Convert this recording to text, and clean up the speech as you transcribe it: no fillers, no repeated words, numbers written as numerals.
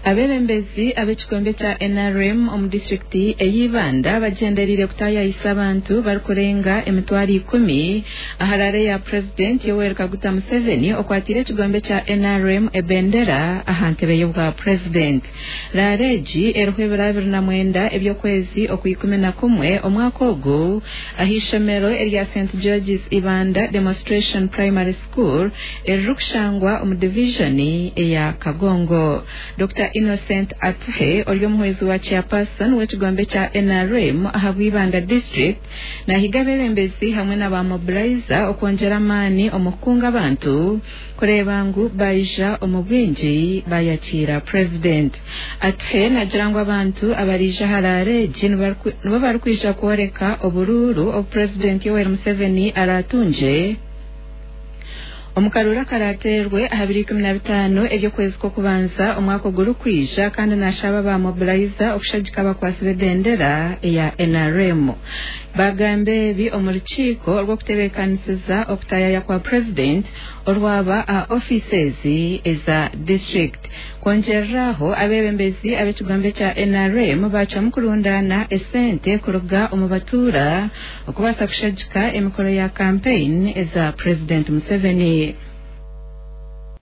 Abeebembezi ab'ekikombe kya NRM omu disitulikiti ey'Ibanda bagyendereire kutaayayisa abantu barikurenga 100,000 aha rally ya Purezidenti Yoweri Kaguta Museveni okwatiire ekigombe kya NRM ebendera aha ntebe y'obwa purezidenti. Rally egi eriho ebiro 29 eby'okwezi okw'ikumi na kumwe omwaka ogu aha ishomero erya St George's Ibanda Demonstration Primary School eririkushangwa omu divijoni eya Kagongo. Dr Innocent Atuhe ori omuhwezi wa chairperson w'ekigombe kya NRM ahabw'Ibanda district nahiga abeebembezi hamwe na ba mobilizer okwongyera amaani omu kukunga abantu kureeba ngu baija omu bwingi bayakiira Purezidenti. Atuhe nagira ngu abantu abariija aha rally egi nibo barikwija kworeka oburuuru obu Purezidenti Yoweri Museveni araatungye omu karuuru akarateerwe aha biro 15 eby'okwezi kw'okubanza omwaka ogurikwija kandi nashaba ba mobilizer okushagika abakwasi b'ebendera eya NRM. Bagamba ebi omu rukiiko rw'okutebeekanisiza okutayaya kwa Purezidenti orwaba aha ofiisi ezi eza district. Kwongyereraho abeebembezi ab'ekigombe kya NRM bacwamu kurundaana esente kuruga omu batuura okubaasa kushagika emikoro ya campaign eza Purezidenti Museveni.